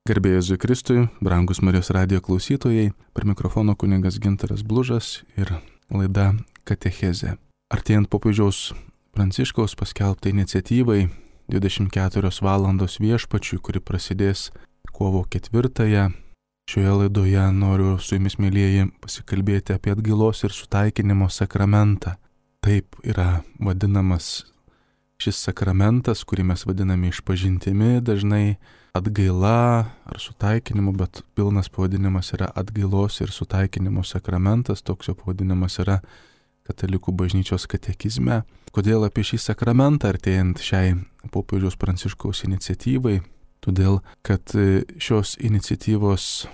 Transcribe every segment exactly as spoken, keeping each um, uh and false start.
Garbė Jėzui Kristui, brangus Marijos radijo klausytojai, prie mikrofono kunigas Gintaras Blužas ir laida Katechezė. Artėjant popiežiaus Pranciškaus paskelbtai iniciatyvai dvidešimt keturios valandos viešpačiui, kuri prasidės kovo ketvirtąją, šioje laidoje noriu su jumis, mielieji, pasikalbėti apie atgailos ir sutaikinimo sakramentą. Taip yra vadinamas šis sakramentas, kurį mes vadiname išpažintimi, dažnai atgaila ar sutaikinimu, bet pilnas pavadinimas yra atgailos ir sutaikinimo sakramentas, toks jo pavadinimas yra Katalikų bažnyčios katekizme. Kodėl apie šį sakramentą artėjant šiai popiežiaus Pranciškaus iniciatyvai? Todėl, kad šios iniciatyvos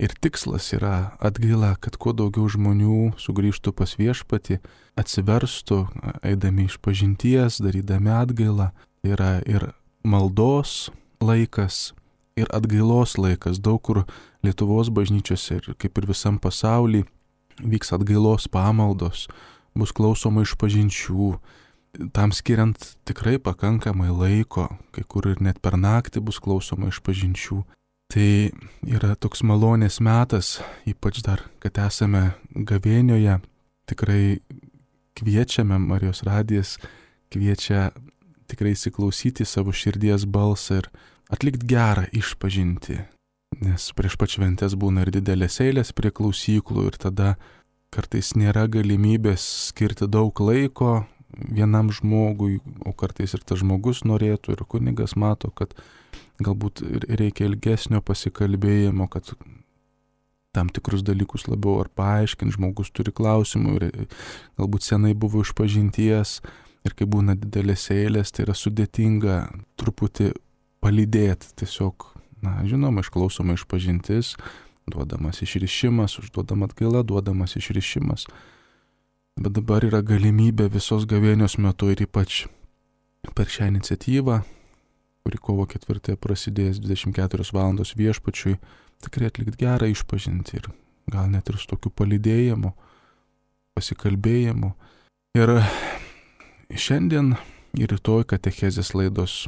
ir tikslas yra atgaila, kad kuo daugiau žmonių sugrįžtų pas viešpatį, atsiverstų, eidami išpažinties, darydami atgailą. Tai yra ir maldos laikas, ir atgailos laikas. Daug kur Lietuvos bažnyčiose ir kaip ir visam pasaulyje vyks atgailos pamaldos, bus klausoma išpažinčių, tam skiriant tikrai pakankamai laiko, kai kur ir net per naktį bus klausoma išpažinčių. Tai yra toks malonės metas, ypač dar, kad esame gavėnioje, tikrai kviečiame, Marijos radijas kviečia tikrai įsiklausyti savo širdies balsą ir atlikti gerą išpažinti. Nes prieš pat šventes būna ir didelės eilės prie klausyklų ir tada kartais nėra galimybės skirti daug laiko vienam žmogui, o kartais ir tas žmogus norėtų ir kunigas mato, kad galbūt reikia ilgesnio pasikalbėjimo, kad tam tikrus dalykus labiau ar paaiškinti, žmogus turi klausimų ir galbūt senai buvo išpažinties ir kai būna didelės eilės, tai yra sudėtinga truputį palydėti, tiesiog, na, žinoma, išklausoma išpažintis, duodamas išrišimas, užduodama atgaila, duodamas išrišimas. Bet dabar yra galimybė visos gavėnios metu ir ypač per šią iniciatyvą, kuri kovo ketvirtąją prasidės dvidešimt keturios valandos viešpačiui, tikrai atlikti gerą išpažinti ir gal net ir su tokiu palydėjimu, pasikalbėjimu. Ir šiandien ir rytoj katechezės laidos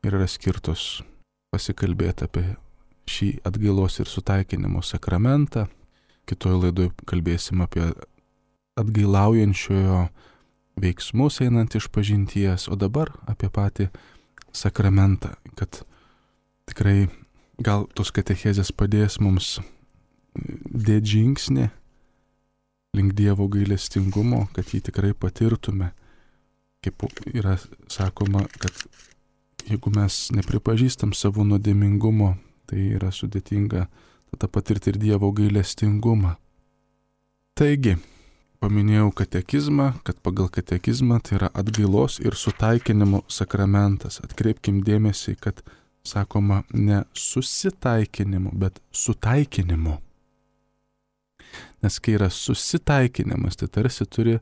yra skirtos pasikalbėti apie šį atgailos ir sutaikinimo sakramentą. Kitoje laidoje kalbėsim apie atgailaujančiojo veiksmus einant išpažinties, o dabar apie patį sakramentą, kad tikrai gal tos katechezės padės mums dėti žingsnį link Dievo gailestingumo, kad jį tikrai patirtume. Kaip yra sakoma, kad jeigu mes nepripažįstam savo nuodėmingumo, tai yra sudėtinga tada patirti ir Dievo gailestingumą. Taigi, paminėjau katekizmą, kad pagal katekizmą tai yra atgailos ir sutaikinimo sakramentas. Atkreipkim dėmesį, kad sakoma ne susitaikinimu, bet sutaikinimu. Nes kai yra susitaikinimas, tai tarsi turi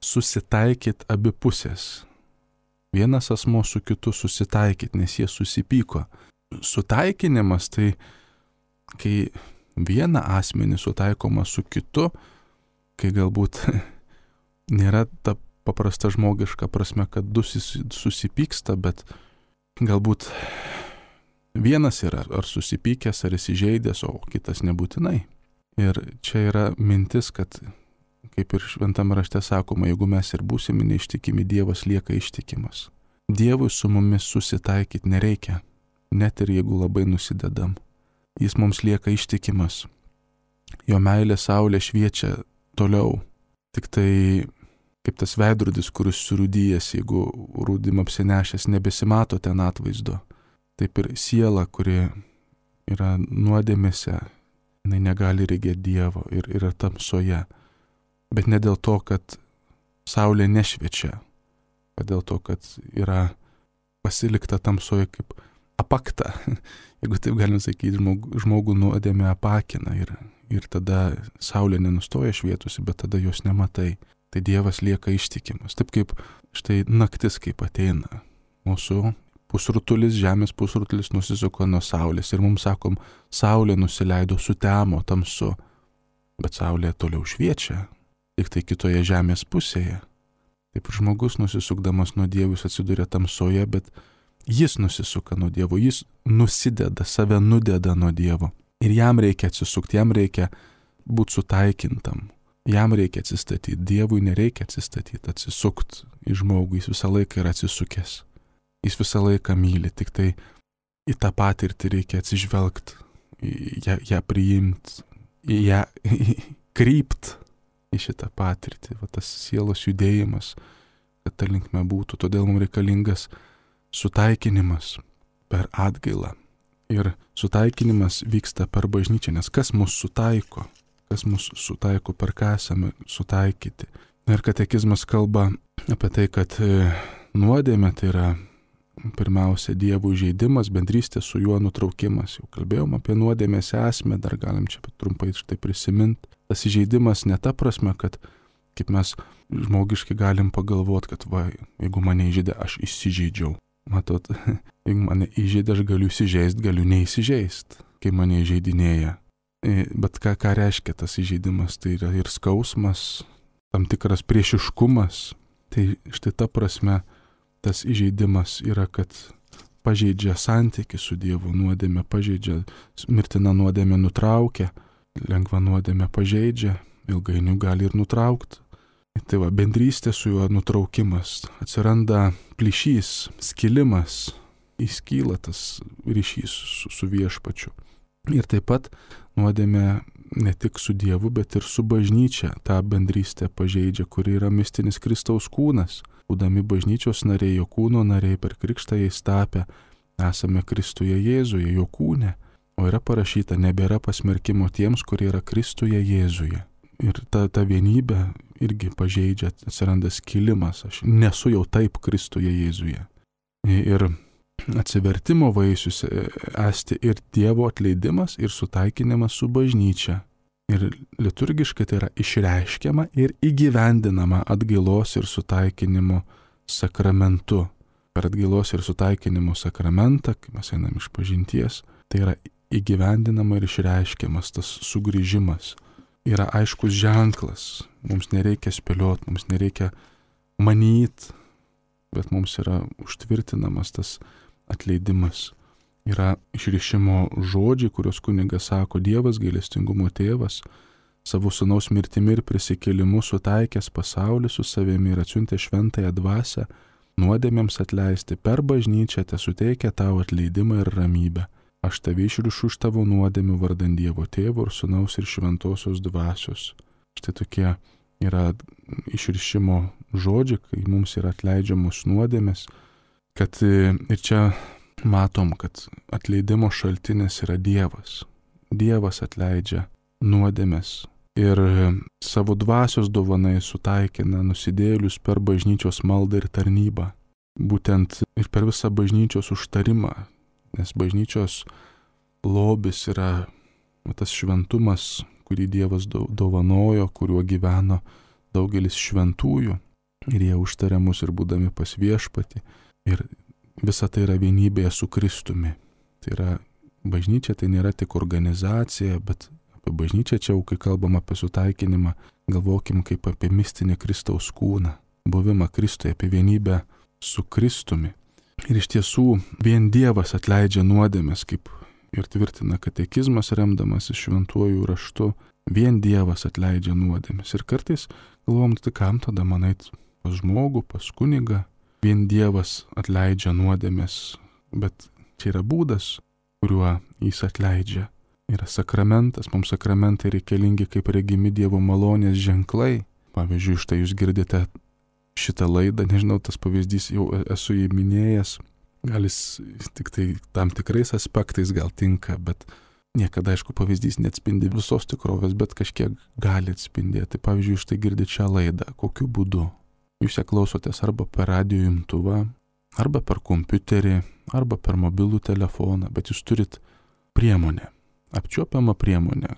susitaikyti abi pusės. Vienas asmo su kitu susitaikyti, nes jie susipyko. Sutaikinimas tai, kai vieną asmenį sutaikoma su kitu, kai galbūt nėra ta paprasta žmogiška prasme, kad du susipyksta, bet galbūt vienas yra ar susipykęs, ar įsižeidęs, o kitas nebūtinai. Ir čia yra mintis, kad kaip ir šventame rašte sakoma, jeigu mes ir būsime neištikimi, Dievas lieka ištikimas. Dievui su mumis susitaikyti nereikia, net ir jeigu labai nusidedam. Jis mums lieka ištikimas. Jo meilė saulė šviečia toliau. Tik tai kaip tas veidrodis, kuris surūdyjęs, jeigu rūdim apsinešęs, nebesimato ten atvaizdo. Taip ir siela, kuri yra nuodėmėse, jinai negali regėti Dievo ir yra tamsoje. Bet ne dėl to, kad saulė nešviečia, o dėl to, kad yra pasilikta tamsoje kaip apakta. Jeigu taip galim sakyti, žmogų, žmogų nuodėmė apakina ir, ir tada saulė nenustoja švietusi, bet tada jos nematai. Tai Dievas lieka ištikimas. Taip kaip štai naktis kaip ateina. Mūsų pusrutulis, žemės pusrutulis nusisuko nuo saulės ir mums sakom, saulė nusileido, sutemo, tamsu, bet saulė toliau šviečia. Tik tai kitoje žemės pusėje. Taip žmogus nusisukdamas nuo Dievo atsiduria tamsoje, bet Jis nusisuka nuo Dievo, jis nusideda, save nudeda nuo Dievo. Ir jam reikia atsisukti, jam reikia būti sutaikintam. Jam reikia atsistatyti, Dievui nereikia atsistatyti, atsisukti į žmogų, jis visą laiką yra atsisukęs. Jis visą laiką myli, tik tai į tą patirtį reikia atsižvelgti, ją, ją priimti, ją krypt į šitą patirtį, va, tas sielos judėjimas, kad ta linkme būtų. Todėl mums reikalingas sutaikinimas per atgailą. Ir sutaikinimas vyksta per bažnyčią, nes kas mus sutaiko, kas mus sutaiko, per ką esame sutaikyti. Ir katekizmas kalba apie tai, kad nuodėmė tai yra pirmiausia Dievo įžeidimas, bendrystė su juo nutraukimas. Jau kalbėjom apie nuodėmės esmę, dar galim čia trumpai štai prisiminti. Tas įžeidimas ne ta prasme, kad kaip mes žmogiškai galim pagalvoti, kad va, jeigu mane įžeidė, aš įsižeidžiau. Matot, jeigu mane įžeidė, aš galiu įsižeisti, galiu neįsižeisti, kai mane įžeidinėja. Bet ką, ką reiškia tas įžeidimas? Tai yra ir skausmas, tam tikras priešiškumas. Tai štai ta prasme tas įžeidimas yra, kad pažeidžia santykį su Dievu, nuodėmė pažeidžia, mirtina nuodėmė nutraukia, lengva nuodėmė pažeidžia, ilgainiui gali ir nutraukti. Tai va, bendrystė su juo nutraukimas, atsiranda plyšys, skilimas, įskyla tas ryšys su, su viešpačiu. Ir taip pat nuodėmė ne tik su Dievu, bet ir su bažnyčia tą bendrystę pažeidžia, kuri yra mistinis Kristaus kūnas. Būdami bažnyčios nariai, jo kūno nariai, per krikštą jais tapę, esame Kristuje Jėzuje, jo kūne. O yra parašyta, nebėra pasmerkimo tiems, kurie yra Kristuje Jėzuje. Ir ta, ta vienybė irgi pažeidžia, atsiranda skilimas, aš nesu jau taip Kristuje Jėzuje. Ir atsivertimo vaisius esti ir Dievo atleidimas, ir sutaikinimas su bažnyčia. Ir liturgiškai tai yra išreiškiama ir įgyvendinama atgailos ir sutaikinimo sakramentu. Per atgailos ir sutaikinimo sakramentą, kai mes einam iš pažinties, tai yra įgyvendinama ir išreiškiamas tas sugrįžimas. Yra aiškus ženklas, mums nereikia spėlioti, mums nereikia manyti, bet mums yra užtvirtinamas tas atleidimas. Yra išrišimo žodžiai, kuriuos kunigas sako, Dievas gailestingumo tėvas, savo sūnaus mirtimi ir prisikėlimu sutaikęs pasaulį su savimi ir atsiuntė šventąją dvasią, nuodėmėms atleisti per bažnyčią, te suteikia tau atleidimą ir ramybę. Aš tave išrišu iš tavo nuodėmių vardan Dievo tėvo ir sūnaus ir šventosios dvasios. Štai tokie yra išrišimo žodžiai, kai mums yra atleidžiamos nuodėmės, kad ir čia matom, kad atleidimo šaltinis yra Dievas. Dievas atleidžia nuodėmes ir savo dvasios dovanai sutaikina nusidėjėlius per bažnyčios maldą ir tarnybą. Būtent ir per visą bažnyčios užtarimą, nes bažnyčios lobis yra tas šventumas, kurį Dievas dovanojo, kuriuo gyveno daugelis šventųjų ir jie užtarė mus ir būdami pas viešpatį. Ir visa tai yra vienybėje su Kristumi. Tai yra bažnyčia, tai nėra tik organizacija, bet apie bažnyčią čia, kai kalbam apie sutaikinimą, galvokim kaip apie mistinį Kristaus kūną, buvimą Kristuje, apie vienybę su Kristumi. Ir iš tiesų vien Dievas atleidžia nuodėmes, kaip ir tvirtina katekizmas remdamas šventuoju raštu, vien Dievas atleidžia nuodėmes. Ir kartais galvom, tai kam tada man eit pas žmogų, pas kunigą, vien Dievas atleidžia nuodėmes, bet čia yra būdas, kuriuo jis atleidžia. Yra sakramentas, mums sakramentai reikalingi kaip regimi Dievo malonės ženklai. Pavyzdžiui, štai jūs girdite šitą laidą, nežinau, tas pavyzdys jau esu jį minėjęs, gal jis tik tai tam tikrais aspektais gal tinka, bet niekada, aišku, pavyzdys neatspindi visos tikrovės, bet kažkiek gali atspindėti. Pavyzdžiui, štai girdite šią laidą, kokiu būdu? Jūs ją klausotės arba per radijo imtuvą, arba per kompiuterį, arba per mobilų telefoną, bet jūs turit priemonę, apčiuopiamą priemonę,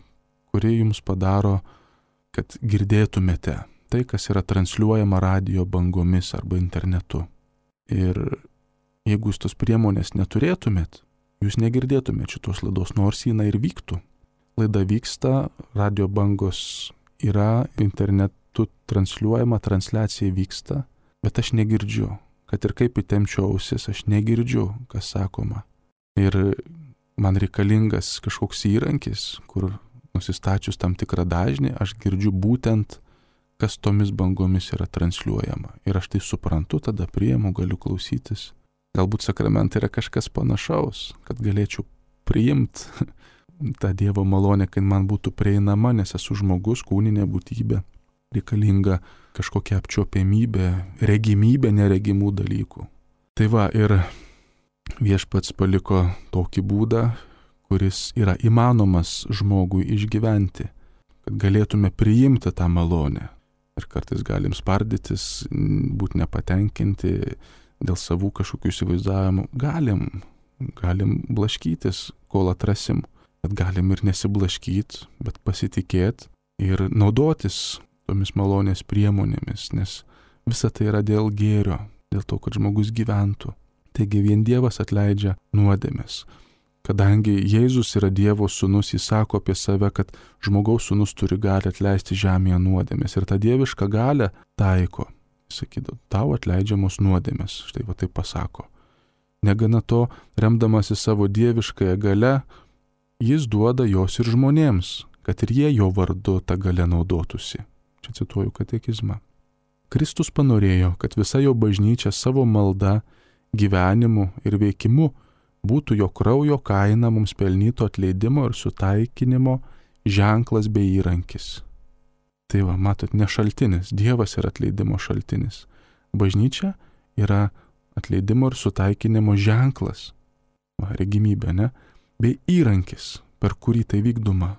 kuri jums padaro, kad girdėtumėte tai, kas yra transliuojama radijo bangomis arba internetu. Ir jeigu jūs tos priemonės neturėtumėt, jūs negirdėtumėt šitos laidos, nors jinai ir vyktų. Laida vyksta, radijo bangos yra, internetu transliuojama, transliacija vyksta, bet aš negirdžiu, kad ir kaip įtempčiau ausis, aš negirdžiu, kas sakoma. Ir man reikalingas kažkoks įrankis, kur nusistačius tam tikrą dažnį, aš girdžiu būtent, kas tomis bangomis yra transliuojama. Ir aš tai suprantu, tada priimu, galiu klausytis. Galbūt sakramentai yra kažkas panašaus, kad galėčiau priimti tą Dievo malonę, kad man būtų prieinama, nes esu žmogus, kūninė būtybė. Reikalinga kažkokia apčiuopiamybė, regimybė neregimų dalykų. Tai va, ir viešpats paliko tokį būdą, kuris yra įmanomas žmogui išgyventi, kad galėtume priimti tą malonę. Ir kartais galim spardytis, būti nepatenkinti dėl savų kažkokių įsivaizdavimų. Galim, galim blaškytis, kol atrasim, bet galim ir nesiblaškyti, bet pasitikėti ir naudotis tomis malonės priemonėmis, nes visa tai yra dėl gėrio, dėl to, kad žmogus gyventų. Taigi vien Dievas atleidžia nuodėmes. Kadangi Jėzus yra Dievo sūnus, jis sako apie save, kad žmogaus sūnus turi galią atleisti žemėje nuodėmes. Ir tą dievišką galią taiko. Sakydavo, tau atleidžiamos nuodėmes. Štai va taip pasako. Negana to, remdamasi savo dieviškąją galią, jis duoda jos ir žmonėms, kad ir jie jo vardu tą galią naudotųsi. Čia cituoju katekizmą. Kristus panorėjo, kad visa jo bažnyčia savo malda, gyvenimu ir veikimu būtų jo kraujo kaina mums pelnyto atleidimo ir sutaikinimo ženklas bei įrankis. Tai va, matot, ne šaltinis, Dievas yra atleidimo šaltinis. Bažnyčia yra atleidimo ir sutaikinimo ženklas, va, regimybė, ne? Bei įrankis, per kurį tai vykdoma.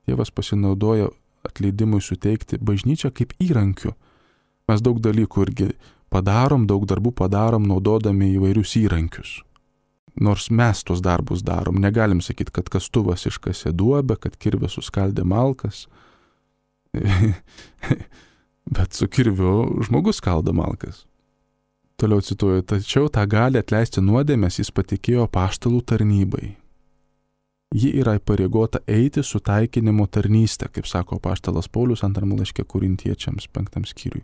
Dievas pasinaudoja atleidimui suteikti bažnyčią kaip įrankiu. Mes daug dalykų irgi padarom, daug darbų padarom, naudodami įvairius įrankius. Nors mes tos darbus darom, negalim sakyti, kad kastuvas iškasė duobę, kad kirvė suskaldė malkas. Bet su kirviu žmogus skaldo malkas. Toliau cituoju, tačiau tą gali atleisti nuodėmes jis patikėjo apaštalų tarnybai. Ji yra įpareigota eiti su taikinimo tarnystė, kaip sako apaštalas Paulius antrame laiške Korintiečiams penktam skyriui.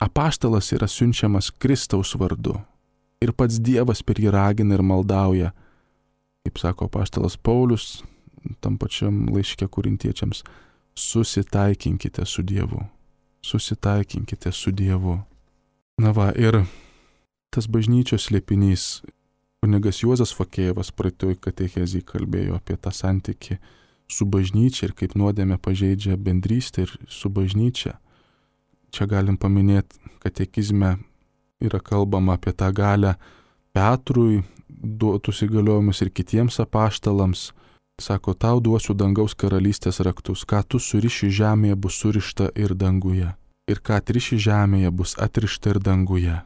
Apaštalas yra siunčiamas Kristaus vardu. Ir pats Dievas per jį ragina ir maldauja, kaip sako apaštalas Paulius, tam pačiam laiške Korintiečiams, susitaikinkite su Dievu. Susitaikinkite su Dievu. Na va, ir tas bažnyčios slėpinys, kunigas Juozas Fakėjevas praeitoj katechezėj kalbėjo apie tą santykį su bažnyčia ir kaip nuodėmė pažeidžia bendrystę ir su bažnyčia. Čia galim paminėti katekizme, yra kalbama apie tą galę Petrui duotus įgaliojimus ir kitiems apaštalams. Sako, tau duosiu dangaus karalystės raktus, ką tu suriši žemėje bus surišta ir danguje. Ir ką atriši žemėje bus atrišta ir danguje.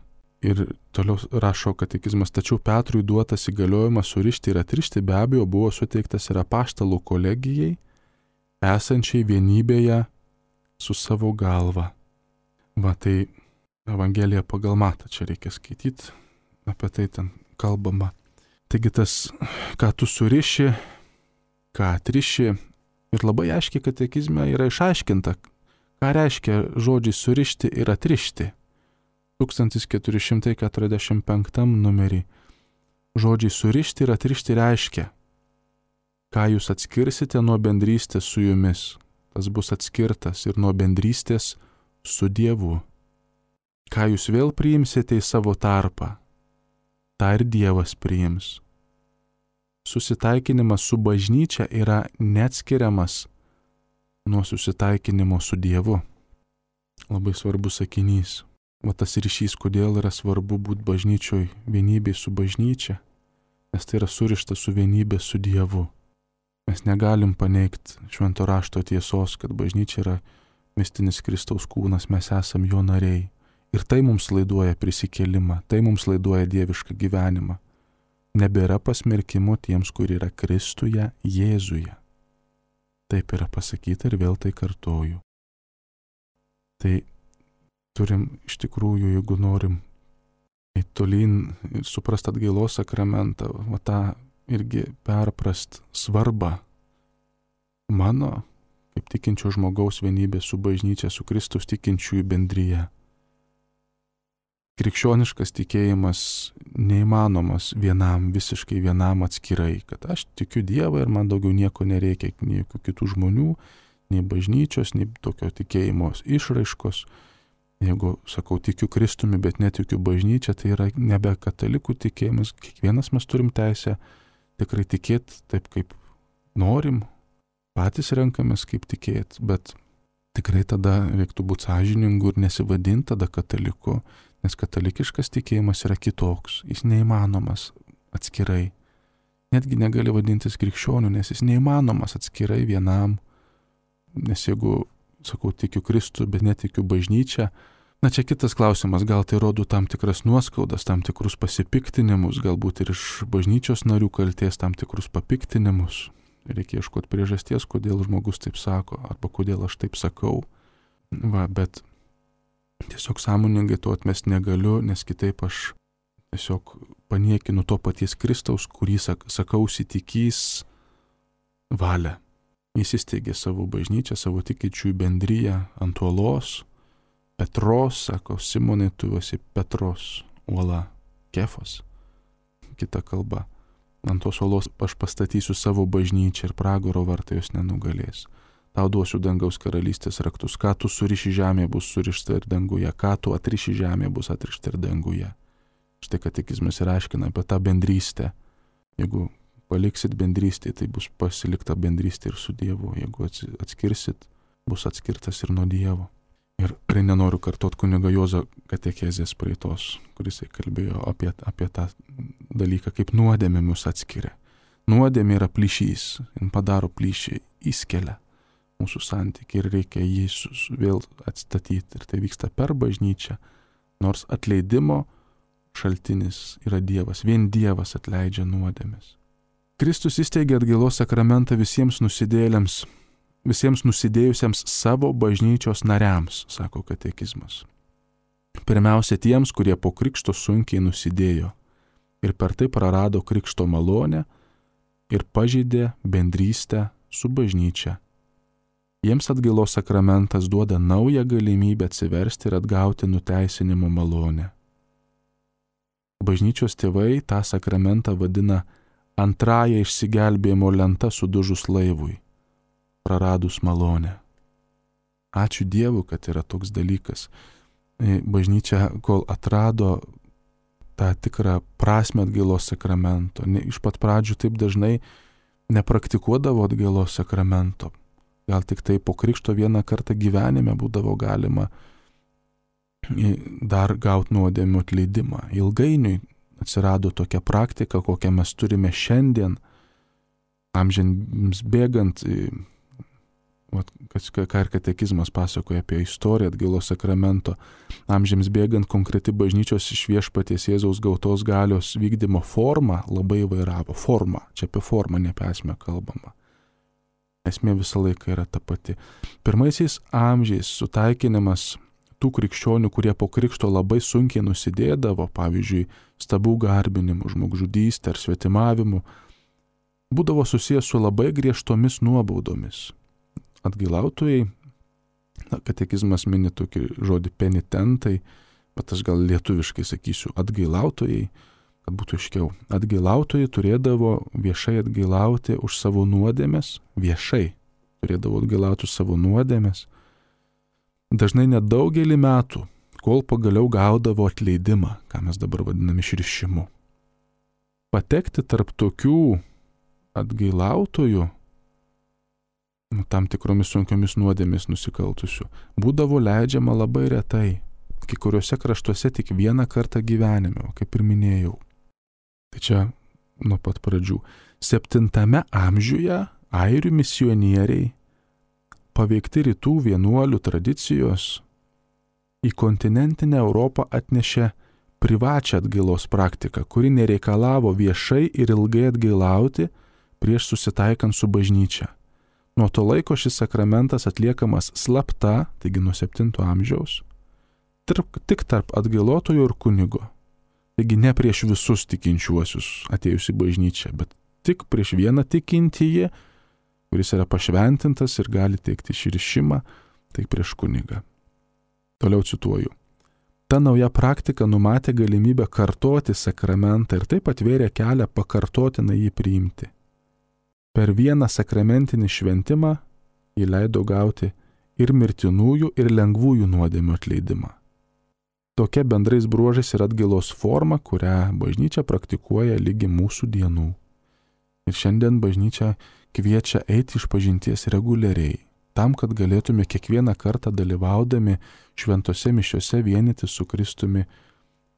Ir toliau rašo katekizmas, tačiau Petrui duotas įgaliojimas surišti ir atrišti be abejo buvo suteiktas ir apaštalų kolegijai, esančiai vienybėje su savo galva. Va tai Evangelija pagal Matą, čia reikia skaityti, apie tai ten kalbama. Taigi tas, ką tu suriši, ką atriši, ir labai aiškiai katekizme yra išaiškinta, ką reiškia žodžiai surišti ir atrišti. tūkstantis keturi šimtai keturiasdešimt penktam numerį žodžiai surišti ir atrišti reiškia, ką jūs atskirsite nuo bendrystės su jumis, tas bus atskirtas ir nuo bendrystės su Dievu. Ką jūs vėl priimsite į savo tarpą, tą ir Dievas priims. Susitaikinimas su bažnyčia yra neatskiriamas nuo susitaikinimo su Dievu. Labai svarbus sakinys. O tas ryšys, kodėl yra svarbu būti bažnyčioj vienybėj su bažnyčia, nes tai yra surišta su vienybė su Dievu. Mes negalim paneigti švento rašto tiesos, kad bažnyčia yra mistinis Kristaus kūnas, mes esam jo nariai. Ir tai mums laiduoja prisikėlimą, tai mums laiduoja dievišką gyvenimą. Nebėra pasmerkimo tiems, kur yra Kristuje, Jėzuje. Taip yra pasakyta ir vėl tai kartoju. Tai turim iš tikrųjų, jeigu norim eiti tolyn ir suprast atgailos sakramentą, va tą irgi perprast svarbą mano, kaip tikinčio žmogaus vienybė su bažnyčia, su Kristus tikinčiųjų bendryje. krikščioniškas tikėjimas neįmanomas vienam, visiškai vienam atskirai, kad aš tikiu Dievą ir man daugiau nieko nereikia, nei jokių kitų žmonių, nei bažnyčios, nei tokio tikėjimo išraiškos. Jeigu sakau tikiu Kristumi, bet netikiu bažnyčia, tai yra nebe katalikų tikėjimas. Kiekvienas mes turim teisę tikrai tikėti taip, kaip norim, patys renkamės kaip tikėti, bet tikrai tada reiktų būti sąžiningu ir nesivadinti tada kataliku, nes katalikiškas tikėjimas yra kitoks, jis neįmanomas atskirai. Netgi negali vadintis krikščioniu, nes jis neįmanomas atskirai vienam, nes jeigu, sakau, tikiu Kristų, bet netikiu bažnyčią, na čia kitas klausimas, gal tai rodo tam tikras nuoskaudas, tam tikrus pasipiktinimus, galbūt ir iš bažnyčios narių kalties tam tikrus papiktinimus. Reikia ieškoti priežasties, kodėl žmogus taip sako, arba kodėl aš taip sakau. Va, bet tiesiog sąmoningai to atmesti negaliu, nes kitaip aš tiesiog paniekinu to paties Kristaus, kurį sak, sakausi tikys valią. Jis įsteigė savo bažnyčią, savo tikinčiųjų bendryją ant uolos. Petros, sako, Simonai, tu esi Petros uola, Kefas, kita kalba. Ant tos uolos aš pastatysiu savo bažnyčią ir pragaro vartai jos nenugalės. Tau duosiu dangaus karalystės raktus. Ką tu suriši žemėje, bus surišta ir danguje. Ką tu atriši žemėje, bus atrišta ir danguje. Štai katekizmas ir aiškina apie tą bendrystę. Jeigu paliksit bendrystę, tai bus pasilikta bendrystė ir su Dievu. Jeigu atskirsit, bus atskirtas ir nuo Dievo. Ir tikrai nenoriu kartot kunigo Juozo katekezės praeitos, kuris kalbėjo apie, apie tą dalyką, kaip nuodėmė mus atskiria. Nuodėmė yra plyšys, jin padaro plyšį, įskelia mūsų santykį ir reikia jį vėl atstatyti. Ir tai vyksta per bažnyčią, nors atleidimo šaltinis yra Dievas, vien Dievas atleidžia nuodėmes. Kristus įsteigė atgailos sakramentą visiems nusidėjėliams, visiems nusidėjusiems savo bažnyčios nariams, sako katekizmas. Pirmiausia tiems, kurie po krikšto sunkiai nusidėjo ir per tai prarado krikšto malonę ir pažeidė bendrystę su bažnyčia. Jiems atgailos sakramentas duoda naują galimybę atsiversti ir atgauti nuteisinimo malonę. Bažnyčios tėvai tą sakramentą vadina antrąją išsigelbėjimo lenta sudužus laivui, praradus malonę. Ačiū Dievui, kad yra toks dalykas. Bažnyčia, kol atrado tą tikrą prasme atgailos sakramento, ne, iš pat pradžių taip dažnai nepraktikuodavo atgailos sakramento. Gal tik tai po krikšto vieną kartą gyvenime būdavo galima dar gauti nuodėmių atleidimą. Ilgainiui atsirado tokia praktika, kokią mes turime šiandien, amžiams bėgant, ką ir katekizmas pasakoja apie istoriją atgailos sakramento, amžiams bėgant konkreti bažnyčios iš Viešpaties Jėzaus gautos galios vykdymo forma labai įvairavo. Forma, čia apie formą, ne apie esmę kalbama. Esmė visą laiką yra ta pati. Pirmaisiais amžiais sutaikinimas tų krikščionių, kurie po krikšto labai sunkiai nusidėdavo, pavyzdžiui, stabų garbinimu, žmogžudystė ar svetimavimu, būdavo susijęs su labai griežtomis nuobaudomis. Atgailautojai, na, katekizmas mini tokį žodį penitentai, bet aš gal lietuviškai sakysiu atgailautojai, kad būtų aiškiau. Atgailautojai turėdavo viešai atgailauti už savo nuodėmes, viešai turėdavo atgailauti už savo nuodėmes, dažnai nedaugelį metų, kol pagaliau gaudavo atleidimą, ką mes dabar vadiname išrišimu. Patekti tarp tokių atgailautojų, tam tikromis sunkiomis nuodėmis nusikaltusių, būdavo leidžiama labai retai, kai kuriuose kraštuose tik vieną kartą gyvenime, kaip ir minėjau. Tai čia nuo pat pradžių. Septintame amžiuje airių misionieriai, paveikti rytų vienuolių tradicijos, į kontinentinę Europą atnešė privačią atgailos praktiką, kuri nereikalavo viešai ir ilgai atgailauti prieš susitaikant su bažnyčia. Nuo to laiko šis sakramentas atliekamas slapta, taigi nuo septinto amžiaus, tarp, tik tarp atgailotojo ir kunigo. Taigi ne prieš visus tikinčiuosius atėjus į bažnyčią, bet tik prieš vieną tikintįjį, kuris yra pašventintas ir gali teikti išrišimą, tai prieš kunigą. Toliau cituoju. Ta nauja praktika numatė galimybę kartoti sakramentą ir taip atvėrė kelią pakartotinai jį priimti. Per vieną sakramentinį šventimą jį leido gauti ir mirtinųjų, ir lengvųjų nuodėmių atleidimą. Tokia bendrais bruožais yra atgailos forma, kurią bažnyčia praktikuoja lygi mūsų dienų. Ir šiandien bažnyčia kviečia eiti išpažinties reguliariai, tam, kad galėtume kiekvieną kartą dalyvaudami šventose mišiose vienyti su Kristumi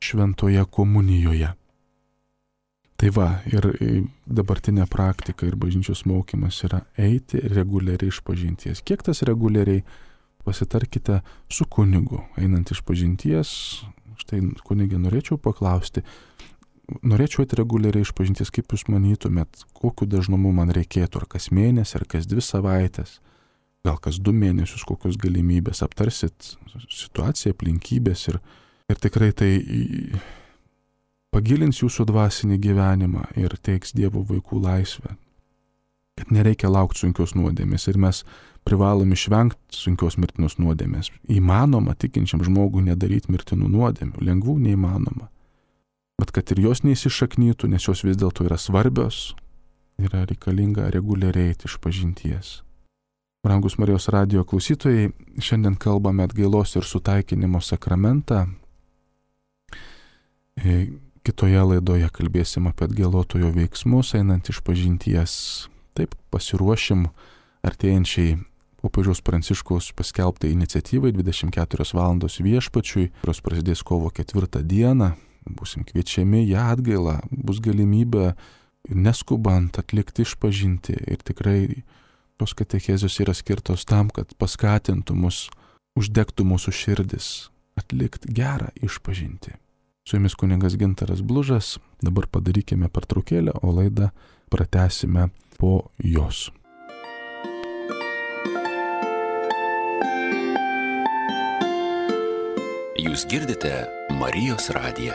šventoje komunijoje. Tai va, ir dabartinė praktika ir bažnyčios mokymas yra eiti reguliariai išpažinties. Kiek tas reguliariai? Pasitarkite su kunigu, einant išpažinties. Štai kunigė norėčiau paklausti, norėčiau eiti reguliariai išpažinties, kaip jūs manytumėt, kokiu dažnumu man reikėtų, ar kas mėnesį, ar kas dvi savaitės, gal kas du mėnesius, kokios galimybės, aptarsit situaciją, aplinkybės ir, ir tikrai tai pagilins jūsų dvasinį gyvenimą ir teiks Dievo vaikų laisvę. Kad nereikia laukti sunkios nuodėmės ir mes privalom išvengti sunkios mirtinos nuodėmės. Įmanoma tikinčiam žmogui nedaryti mirtinų nuodėmių, lengvų neįmanoma. Bet kad ir jos neįsišaknytų, nes jos vis dėlto yra svarbios, yra reikalinga reguliariai eiti išpažinties. Brangus Marijos radijo klausytojai, šiandien kalbame atgailos ir sutaikinimo sakramentą. Kitoje laidoje kalbėsim apie atgailotojo veiksmus, einant išpažinties. Taip, pasiruošim artėjančiai popiežiaus Pranciškaus paskelbtai iniciatyvai dvidešimt keturios valandos viešpačiui, kurios prasidės kovo ketvirtą dieną. Būsim kviečiami ją atgailą, bus galimybė neskubant atlikti išpažinti ir tikrai tos katechezijos yra skirtos tam, kad paskatintų mus, uždegtų mūsų širdis, atlikti gerą išpažinti. Su jumis kunigas Gintaras Blužas, dabar padarykime pertraukėlę, o laidą pratęsime po jos. Jūs girdite Marijos radiją.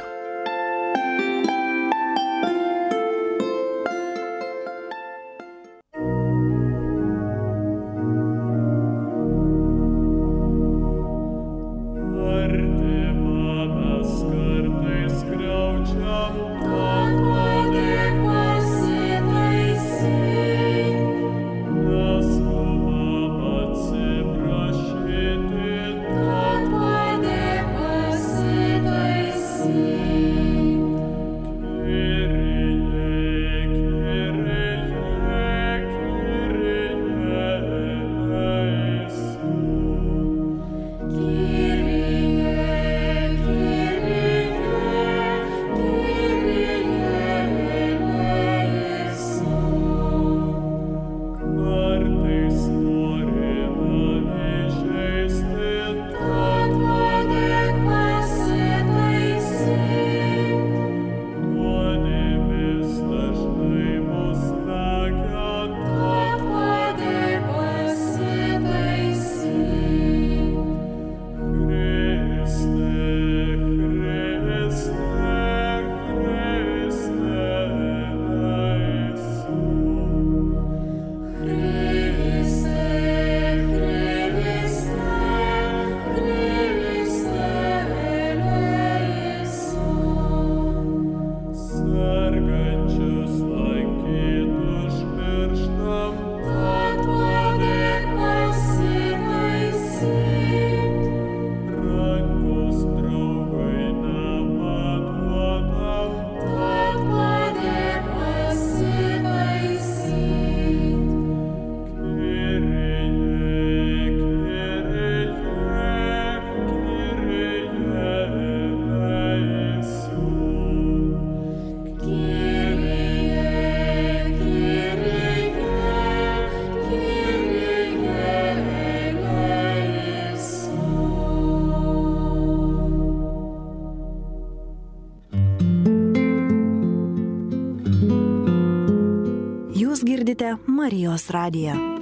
Girdite Marijos radiją.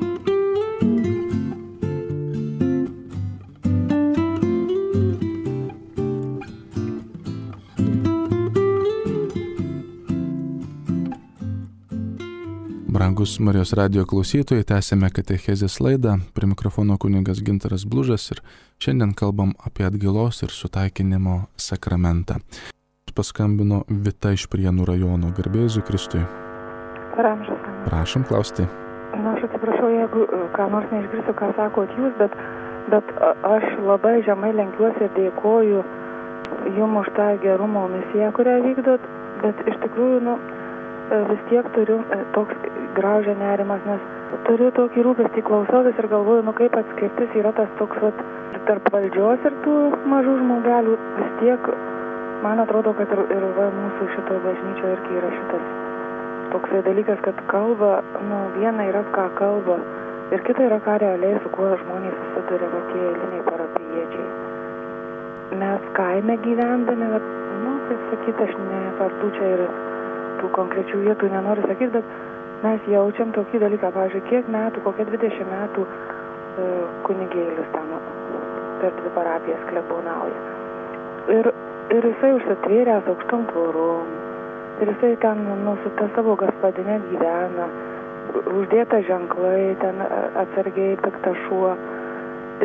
Brangus Marijos radijo klausytojai, tęsėme katechezės laidą, prie mikrofono kunigas Gintaras Blužas ir šiandien kalbam apie atgailos ir sutaikinimo sakramentą. Paskambino Vita iš Prienų rajono. Garbė Jėzui Kristui. Ramžas. Prašom klausti. Na, aš atsiprašau, jeigu ką nors neišgirsiu, ką sakot jūs, bet, bet aš labai žemai lenkiuosi ir dėkoju jums už tą gerumo misiją, kurią vykdot, bet iš tikrųjų, nu, vis tiek turiu toks graužia nerimas, nes turiu tokį rūpestį, klausautis ir galvoju, nu kaip atskirtis yra tas toks vat, tarp valdžios ir tų mažų žmogelių. Vis tiek, man atrodo, kad ir, ir va, mūsų šito bažnyčio irgi yra šitas toksai dalykas, kad kalba, nu viena yra ką kalba ir kita yra ką realiai, su kuo žmonės susiduria, va tie eiliniai parapijiečiai. Mes kaime gyvendami, va, nu, kaip sakyt, aš nevardu čia ir tų konkrečių vietų nenoriu sakyti, bet mes jaučiam tokį dalyką, pavyzdžiui, kiek metų, kokie dvidešimt metų e, kunigėlis tam per dvi parapijas klebonauja. Ir, ir jisai užsitvėręs aukštom tvorom, ir jisai ten nu, su ta savo gaspadinė gyvena, uždėta ženklai, ten atsargiai piktas šuo,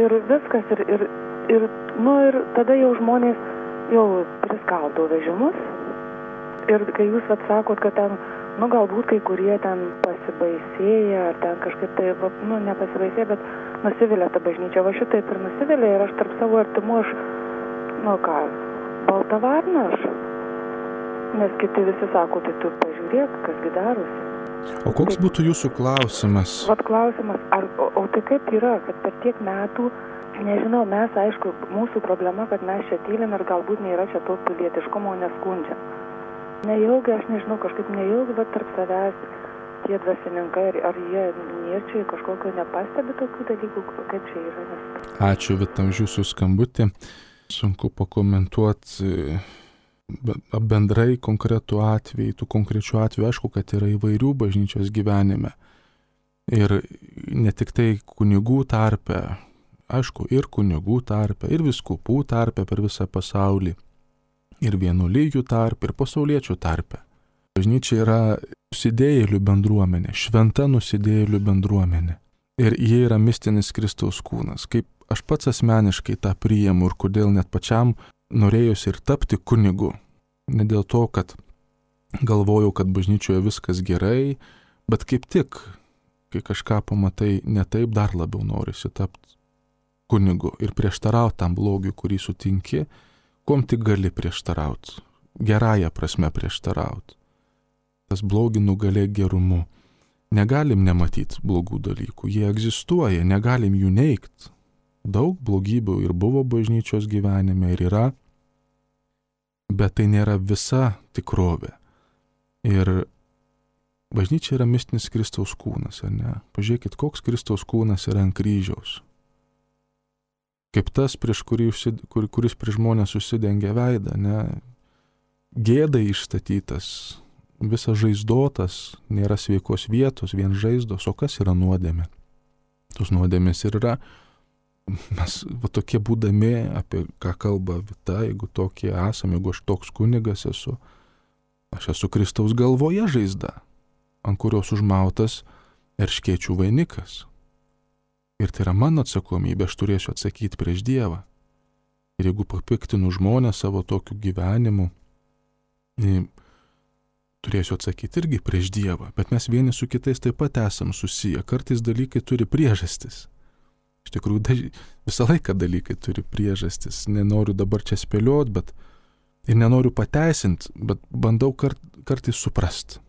ir viskas, ir, ir, ir, nu, ir tada jau žmonės jau priskaldo vežimus. Ir kai jūs vat sakot, kad ten, nu galbūt kai kurie ten pasibaisėja, ar ten kažkaip tai, va, nu nepasibaisėja, bet nusivilia tą bažnyčią, va šitaip ir nusivilia, ir aš tarp savo artimų, aš, nu ką, balta varna aš, nes kiti visi sako, tai tu pažiūrėk, kasgi darosi. O koks tai, būtų jūsų klausimas? Vat klausimas, ar, o, o tai kaip yra, kad per tiek metų, nežinau, mes, aišku, mūsų problema, kad mes čia tylim ir galbūt nėra čia to pilietiškumo neskundžiam. Neilgai, aš nežinau, kažkaip neilgai, bet tarp savęs tie dvasininkai, ar, ar jie niečiai kažkokio nepastebi tokių dalykų, kaip čia yra. Nes... Ačiū Vita už jūsų skambutį. Sunku pakomentuoti bendrai konkretų atvejį, tų konkrečių atvejų, aišku, kad yra įvairių bažnyčios gyvenime. Ir ne tik tai kunigų tarpe, aišku, ir kunigų tarpe, ir vyskupų tarpe per visą pasaulį. Ir vienuolijų tarpe, ir pasauliečių tarpe. Bažnyčia yra nusidėjėlių bendruomenė, šventa nusidėjėlių bendruomenė. Ir jie yra mistinis Kristaus kūnas. Kaip aš pats asmeniškai tą priimu ir kodėl net pačiam norėjusi ir tapti kunigu. Ne dėl to, kad galvojau, kad bažnyčioje viskas gerai, bet kaip tik, kai kažką pamatai ne taip, dar labiau norisi tapti kunigu ir prieštarauti tam blogiui, kurį sutinki, kom tik gali prieštarauti, gerąją prasme prieštarauti. Tas blogį nugalėk gerumu. Negalim nematyti blogų dalykų, jie egzistuoja, negalim jų neigt. Daug blogybių ir buvo bažnyčios gyvenime ir yra, bet tai nėra visa tikrovė. Ir bažnyčia yra mistinis Kristaus kūnas, ar ne? Pažiūrėkit, koks Kristaus kūnas yra ant kryžiaus. Kaip tas, prieš kurį, kur, kuris prieš žmonės užsidengia veidą, ne? Gėdai išstatytas, visas žaizdotas, nėra sveikos vietos, vien žaizdos, o kas yra nuodėmė? Tos nuodėmės ir yra, mes va, tokie būdami, apie ką kalba Vita, jeigu tokie esame, jeigu aš toks kunigas esu, aš esu Kristaus galvoje žaizda, ant kurios užmautas erškėčių vainikas. Ir tai yra mano atsakomybė, aš turėsiu atsakyti prieš Dievą. Ir jeigu papiktinu žmonės savo tokiu gyvenimu, turėsiu atsakyti irgi prieš Dievą. Bet mes vieni su kitais taip pat esam susiję. Kartais dalykai turi priežastis. Iš tikrųjų, daž... visą laiką dalykai turi priežastis. Nenoriu dabar čia spėlioti, bet ir nenoriu pateisinti, bet bandau kart... kartais suprasti.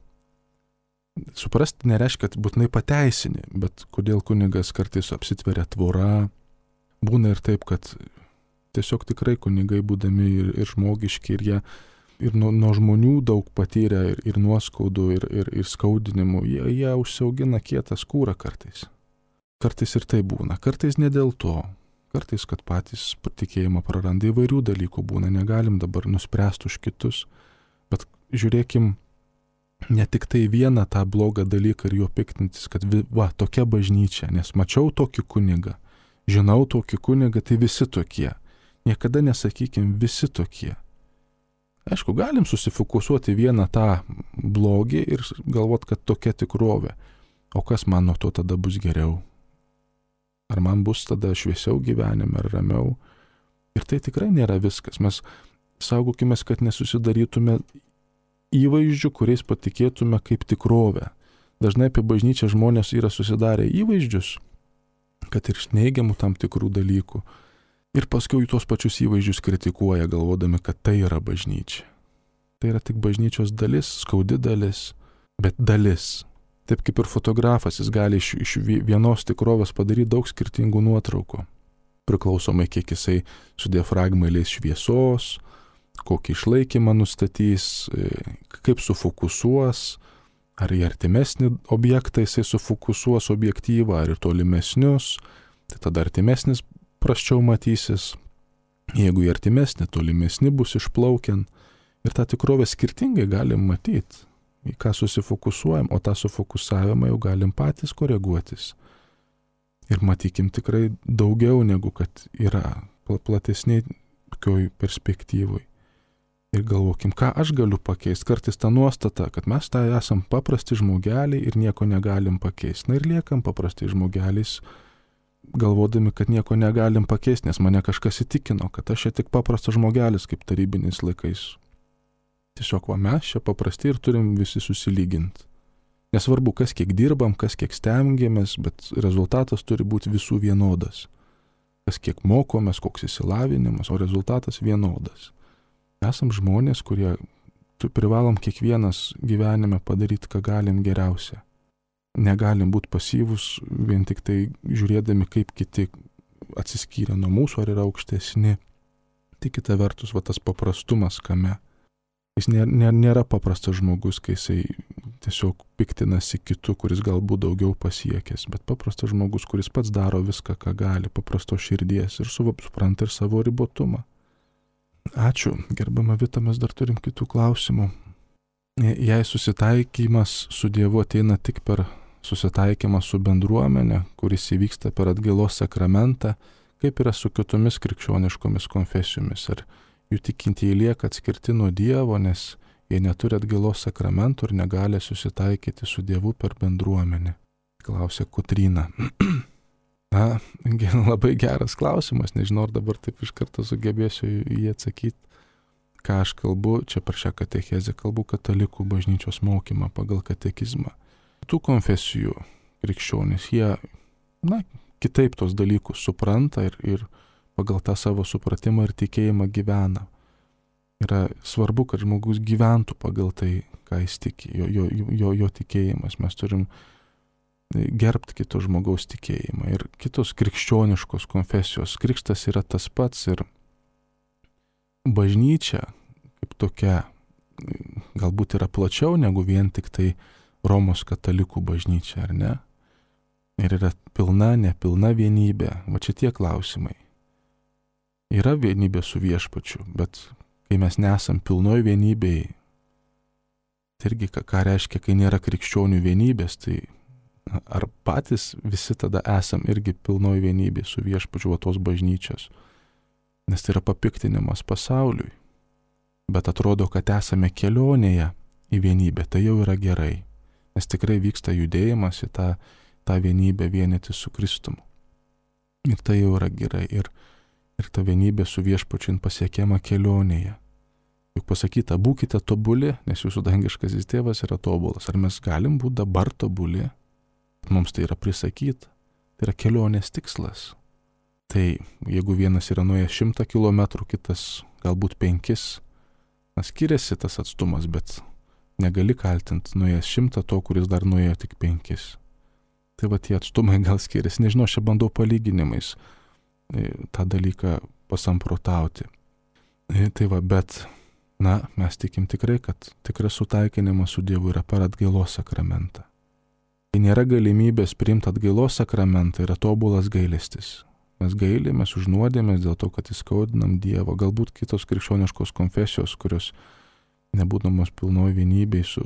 Suprasti nereiškia, kad būtinai pateisinį, bet kodėl kunigas kartais apsitveria tvora. Būna ir taip, kad tiesiog tikrai kunigai būdami ir, ir žmogiški, ir jie ir nuo, nuo žmonių daug patyrę, ir, ir nuoskaudų, ir, ir, ir skaudinimų, jie, jie užsiaugina kietą skūrą kartais. Kartais ir tai būna, kartais ne dėl to. Kartais, kad patys tikėjimą praranda, įvairių dalykų būna, negalim dabar nuspręsti už kitus, bet žiūrėkim, ne tik tai vieną tą blogą dalyką ir jo piktintis, kad va, tokia bažnyčia, nes mačiau tokį kunigą, žinau tokį kunigą, tai visi tokie. Niekada nesakykim visi tokie. Aišku, galim susifokusuoti vieną tą blogį ir galvot, kad tokia tikrovė. o kas man nuo to tada bus geriau? Ar man bus tada šviesiau gyvenime, ar ramiau? Ir tai tikrai nėra viskas. Mes saugokime, kad nesusidarytume įvaizdžių, kuriais patikėtume kaip tikrovę. Dažnai apie bažnyčią žmonės yra susidarę įvaizdžius, kad ir iš neigiamų tam tikrų dalykų. Ir paskui tuos pačius įvaizdžius kritikuoja, galvodami, kad tai yra bažnyčia. Tai yra tik bažnyčios dalis, skaudi dalis, bet dalis. Taip kaip ir fotografas, jis gali iš, iš vienos tikrovės padaryti daug skirtingų nuotraukų. Priklausomai, kiek jisai su diafragma leis šviesos, kokį išlaikymą nustatys, kaip sufokusuos, ar į artimesnį objektą jisai sufokusuos objektyvą, ar į tolimesnius, tai tada artimesnis prasčiau matysis, jeigu į artimesnį, tolimesnį bus išplaukiant, ir tą tikrovę skirtingai galim matyti, į ką susifokusuojam, o tą sufokusavimą jau galim patys koreguotis. Ir matykim tikrai daugiau negu kad yra platesniai tokioj perspektyvoj. Ir galvokim, ką aš galiu pakeisti. Kartais ta nuostata, kad mes tai esam paprasti žmogeliai ir nieko negalim pakeisti. Na ir liekam paprasti žmogeliais, galvodami, kad nieko negalim pakeisti, nes mane kažkas įtikino, kad aš čia tik paprastas žmogelis, kaip tarybiniais laikais. Tiesiog va mes čia paprasti ir turim visi susilyginti. Nesvarbu, kas kiek dirbam, kas kiek stengiamės, bet rezultatas turi būti visų vienodas. Kas kiek mokomės, koks įsilavinimas, o rezultatas vienodas. Esam žmonės, kurie privalom kiekvienas gyvenime padaryti, ką galim geriausia. Negalim būti pasyvus, vien tik tai žiūrėdami, kaip kiti atsiskyrė nuo mūsų ar yra aukštesni. Tik kita vertus, va tas paprastumas kame. Jis nėra, nėra paprastas žmogus, kai jisai tiesiog piktinasi kitu, kuris galbūt daugiau pasiekęs, bet paprastas žmogus, kuris pats daro viską, ką gali, paprasto širdies ir supranta ir savo ribotumą. Ačiū, gerbama Vita, mes dar turim kitų klausimų. Jei susitaikymas su Dievu ateina tik per susitaikymą su bendruomenė, kuris įvyksta per atgailos sakramentą, kaip yra su kitomis krikščioniškomis konfesijomis, ar jų tikintieji lieka atskirti nuo Dievo, nes jie neturi atgailos sakramentų ir negali susitaikyti su Dievu per bendruomenę, klausė Kotryna. Na, labai geras klausimas, nežinau, ar dabar taip iš karto sugebėsiu jį atsakyti. Ką aš kalbu, čia per šią katechezę kalbu katalikų bažnyčios mokymą pagal katekizmą. Tų konfesijų krikščionys, jie, na, kitaip tos dalykus supranta ir, ir pagal tą savo supratimą ir tikėjimą gyvena. Yra svarbu, kad žmogus gyventų pagal tai, ką jis tiki, jo, jo, jo, jo tikėjimas. Mes turim gerbti kito žmogaus tikėjimą ir kitos krikščioniškos konfesijos. Krikštas yra tas pats ir bažnyčia kaip tokia galbūt yra plačiau negu vien tik tai Romos katalikų bažnyčia, ar ne? Ir yra pilna, nepilna vienybė. Va čia tie klausimai. Yra vienybė su viešpačiu, bet kai mes nesam pilnoj vienybėj, tai irgi ką, ką reiškia, kai nėra krikščionių vienybės, tai ar patys visi tada esam irgi pilnoj vienybė su viešpačiu va tos bažnyčios. Nes tai yra papiktinimas pasauliui. Bet atrodo, kad esame kelionėje į vienybę, tai jau yra gerai. Nes tikrai vyksta judėjimas į tą, tą vienybę vienyti su Kristumi. Ir tai jau yra gerai. Ir, ir ta vienybė su viešpačiu pasiekiama kelionėje. Juk pasakyta, būkite tobuli, nes jūsų dangiškasis tėvas yra tobulas. Ar mes galim būti dabar tobuli? Mums tai yra prisakyta. Tai yra kelionės tikslas. Tai jeigu vienas yra nuėjęs šimtą kilometrų, kitas galbūt penkis, na, skiriasi tas atstumas, bet negali kaltinti nuėjęs šimtą to, kuris dar nuėjo tik penkis. Tai va tie atstumai gal skiriasi, nežinau, aš čia bandau palyginimais tą dalyką pasamprotauti. Tai va, bet, na, mes tikim tikrai, kad tikras sutaikinimas su Dievu yra per atgailos sakramentą. Kai nėra galimybės priimti atgailos sakramentą, yra tobulas gailestis. Mes gailimės už nuodėmės dėl to, kad įskaudinam Dievą. Galbūt kitos krikščioniškos konfesijos, kurios nebūdamos pilnoj vienybėj su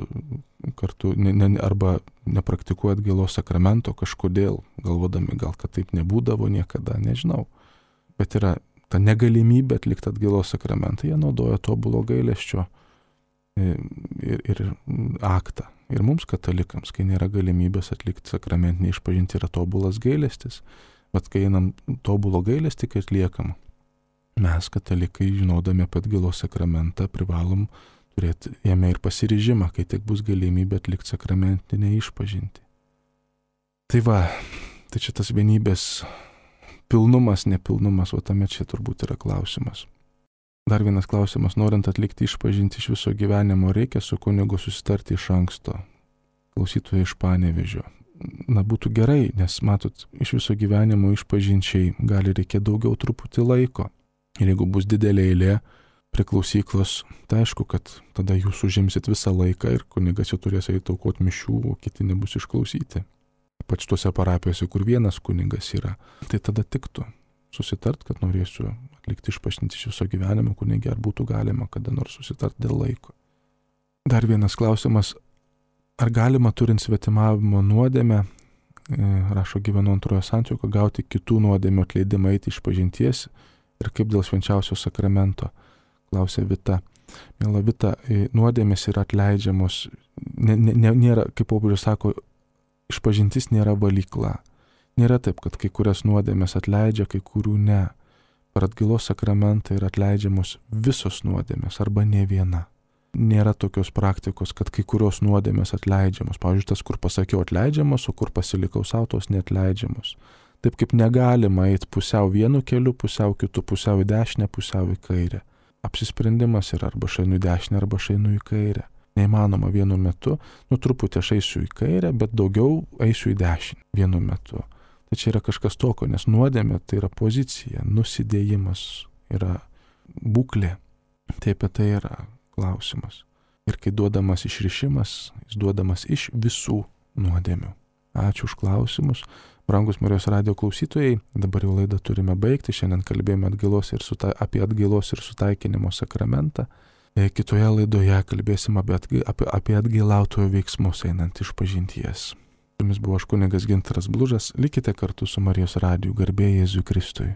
kartu, ne, ne, arba nepraktikuoja atgailos sakramento kažkodėl, galvodami gal, kad taip nebūdavo niekada, nežinau. Bet yra ta negalimybė atlikti atgailos sakramentą, jie naudoja tobulo gailesčio ir, ir aktą. Ir mums katalikams, kai nėra galimybės atlikti sakramentinį išpažinti, yra tobulas gailestis. Bet kai einam tobulo gailestį, kai atliekam, mes katalikai, žinodami apie atgailos sakramentą, privalom turėti jame ir pasiryžimą, kai tik bus galimybė atlikti sakramentinę išpažinti. Tai va, tai čia tas vienybės pilnumas, nepilnumas, o tame čia turbūt yra klausimas. Dar vienas klausimas, norint atlikti išpažinti iš viso gyvenimo, reikia su kunigu susitarti iš anksto. Klausytoja iš Panevėžio. Na, būtų gerai, nes matot, iš viso gyvenimo išpažinčiai gali reikėti daugiau truputį laiko. Ir jeigu bus didelė eilė prie klausyklos, tai aišku, kad tada jūs užimsit visą laiką ir kunigas jau turės eiti aukoti mišių, o kiti nebus išklausyti. Ypač tuose parapijose, kur vienas kunigas yra, tai tada tiktų susitart, kad norėsiu atlikti išpažinti iš viso gyvenimo kunige, ar būtų galima kada nors susitart dėl laiko. Dar vienas klausimas, ar galima turint svetimavimo nuodėmę, rašo gyvenu antrojo santuoko, gauti kitų nuodėmių atleidimą eiti išpažinties ir kaip dėl švenčiausio sakramento, klausė Vita. Miela Vita, nuodėmės yra atleidžiamos, ne, ne, nėra, kaip popiežius sako, išpažintis nėra valykla. Nėra taip, kad kai kurias nuodėmės atleidžia, kai kurių ne. Per atgailos sakramentą yra atleidžiamos visos nuodėmės arba ne viena. Nėra tokios praktikos, kad kai kurios nuodėmės atleidžiamos. Pavyzdžiui, tas, kur pasakiau atleidžiamos, o kur pasilikau savo, tos neatleidžiamos. Taip kaip negalima eiti pusiau vienu keliu, pusiau kitu, pusiau į dešinę, pusiau į kairę. Apsisprendimas yra arba šainu į dešinę, arba šainu į kairę. Neįmanoma vienu metu, nu truputį aš eisiu į kairę, bet daugiau eisiu į dešinę vienu metu. Tai čia yra kažkas tokio, nes nuodėmė tai yra pozicija, nusidėjimas yra būklė. Tai apie tai yra klausimas. Ir kai duodamas išrišimas, jis duodamas iš visų nuodėmių. Ačiū už klausimus. Brangus Marijos radijo klausytojai, dabar jau laidą turime baigti. Šiandien kalbėjome atgailos ir suta, apie atgailos ir sutaikinimo sakramentą. Kitoje laidoje kalbėsim apie, atga, apie, apie atgailautojo veiksmus einant iš pažinties. Su jumis buvo aš kunigas Gintaras Blužas. Likite kartu su Marijos radiju. Garbė Jėzui Kristui.